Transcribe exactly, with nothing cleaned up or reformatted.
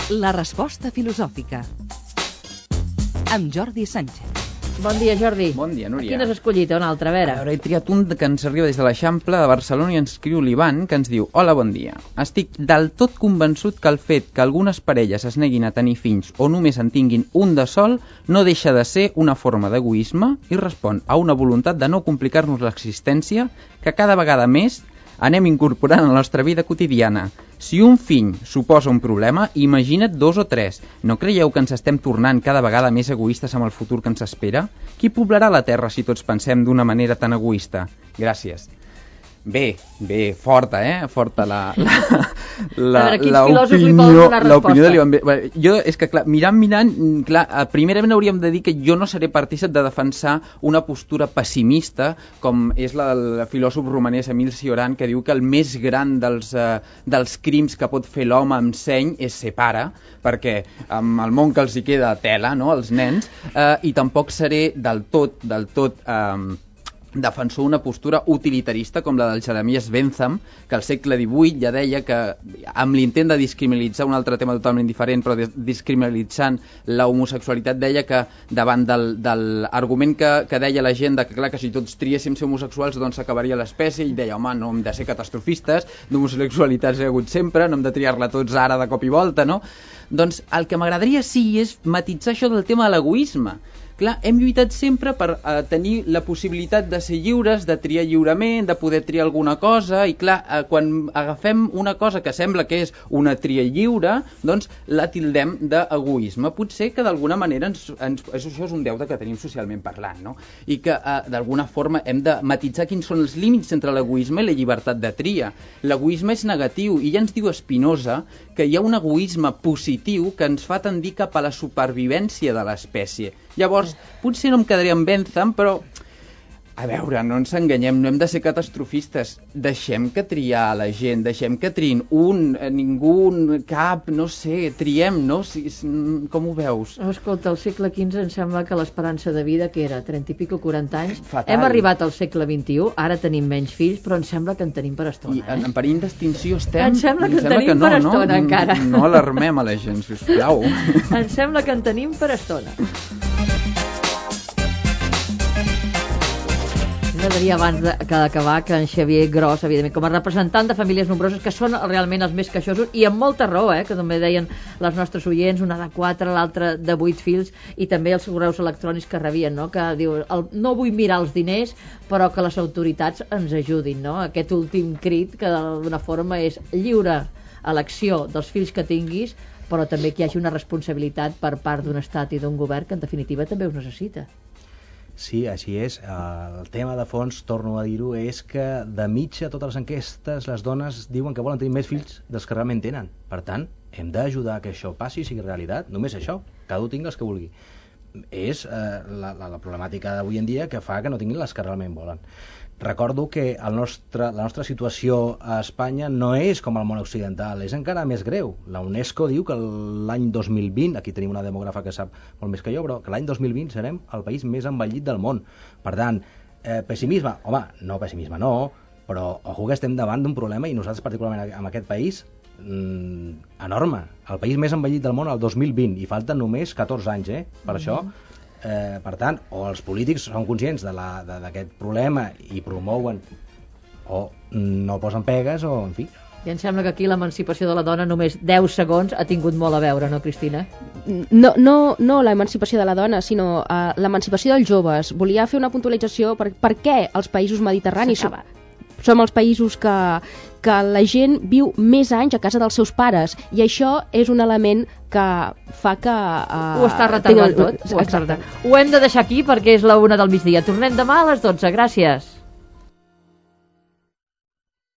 La resposta filosòfica. Amb Jordi Sánchez. Bon dia, Jordi. Bon dia, Núria. Quin has escollit? Un altre, a veure. A veure, he triat un que ens arriba des de l'Eixample de Barcelona i ens escriu l'Ivan, que ens diu: hola, bon dia. Estic del tot convençut que el fet que algunes parelles es neguin a tenir fills o només en tinguin un de sol no deixa de ser una forma d'egoisme i respon a una voluntat de no complicar-nos l'existència que cada vegada més anem incorporant a la nostra vida quotidiana. Si un fill suposa un problema, imagina't dos o tres. No creieu que ens estem tornant cada vegada més egoistes amb el futur que ens espera? Qui poblarà la Terra si tots pensem d'una manera tan egoista? Gràcies. Bé, bé, forta, eh? Forta la... la a veure, quins filòsofs li poden donar resposta? L'opinió de l'Ivan. Bé, jo, és que, clar, mirant, mirant, clar, primerament hauríem de dir que jo no seré partícip de defensar una postura pessimista, com és la del filòsof romanès Emil Cioran, que diu que el més gran dels, eh, dels crims que pot fer l'home amb seny és ser pare, perquè amb el món que els hi queda tela, no?, els nens, eh, i tampoc seré del tot, del tot... Eh, defensor una postura utilitarista com la del Jeremias Bentham, que al segle divuit ja deia que, amb l'intent de discriminalitzar un altre tema totalment diferent, però discriminalitzant la homosexualitat, deia que davant del, del argument que, que deia la gent de que, clar, que si tots triéssim ser homosexuals doncs s'acabaria l'espècie, i deia, home, no hem de ser catastrofistes, d'homosexualitats hi ha hagut sempre, no hem de triar-la tots ara de cop i volta, no? Doncs el que m'agradaria sí és matitzar això del tema de l'egoisme. Clar, hem lluitat sempre per eh, tenir la possibilitat de ser lliures, de triar lliurement, de poder triar alguna cosa, i clar, eh, quan agafem una cosa que sembla que és una tria lliure, doncs la tildem d'egoisme. Potser que d'alguna manera ens, ens, això és un deute que tenim socialment parlant, no? I que eh, d'alguna forma hem de matitzar quins són els límits entre l'egoisme i la llibertat de tria. L'egoisme és negatiu, i ja ens diu Spinoza que hi ha un egoisme positiu que ens fa tendir cap a la supervivència de l'espècie. Llavors, potser no em quedaré amb Bentham, però, a veure, no ens enganyem, no hem de ser catastrofistes. Deixem que triar la gent, deixem que triïn un, ningú, cap, no sé, triem, no? Si, com ho veus? Oh, escolta, al segle quinze em sembla que l'esperança de vida, que era trenta i pico, quaranta anys, fatal. Hem arribat al segle vint-i-u, ara tenim menys fills, però em sembla que en tenim per estona. I en, en perill d'extinció estem... Em sembla que en sembla tenim que no, per estona, no? encara. No alarmem a la gent, sisplau. Em sembla que en tenim per estona. M'agradaria abans d'acabar que en Xavier Gros, evidentment, com a representant de famílies nombroses, que són realment els més queixosos, i amb molta raó, eh, que també deien les nostres oients, una de quatre, l'altra de vuit fills, i també els correus electrònics que rebien, no? Que diu, el, no vull mirar els diners, però que les autoritats ens ajudin, no? Aquest últim crit, que d'alguna forma és lliure elecció dels fills que tinguis, però també que hi hagi una responsabilitat per part d'un estat i d'un govern que en definitiva també us necessita. Sí, així és. El tema de fons, torno a dir-ho, és que de mitja totes les enquestes les dones diuen que volen tenir més fills dels que realment tenen. Per tant, hem d'ajudar que això passi i sigui realitat. Només això, cada un tingui els que vulgui. És eh, la, la, la problemàtica d'avui en dia que fa que no tinguin les que realment volen. Recordo que el nostre, la nostra situació a Espanya no és com al món occidental, és encara més greu. La UNESCO diu que l'any dos mil vint, aquí tenim una demògrafa que sap molt més que jo, però que l'any dos mil vint serem el país més envellit del món. Per tant, eh, pessimisme, home, no pessimisme no, però ojo que estem davant d'un problema, i nosaltres particularment en aquest país, mmm, enorme. El país més envellit del món el dos mil vint, i falten només catorze anys, eh? Per mm-hmm. això... Eh, per tant, o els polítics són conscients d'aquest problema i promouen, o no posen pegues, o en fi. I em sembla que aquí l'emancipació de la dona només deu segons ha tingut molt a veure, no, Cristina? No, no, no l'emancipació de la dona, sinó uh, l'emancipació dels joves. Volia fer una puntualització per, per què els països mediterranis som, som els països que, que la gent viu més anys a casa dels seus pares, i això és un element que fa que... Uh, ho està retardant tinguin... tot. Ho, està retardant. Ho hem de deixar aquí perquè és la una del migdia. Tornem demà a les dotze. Gràcies.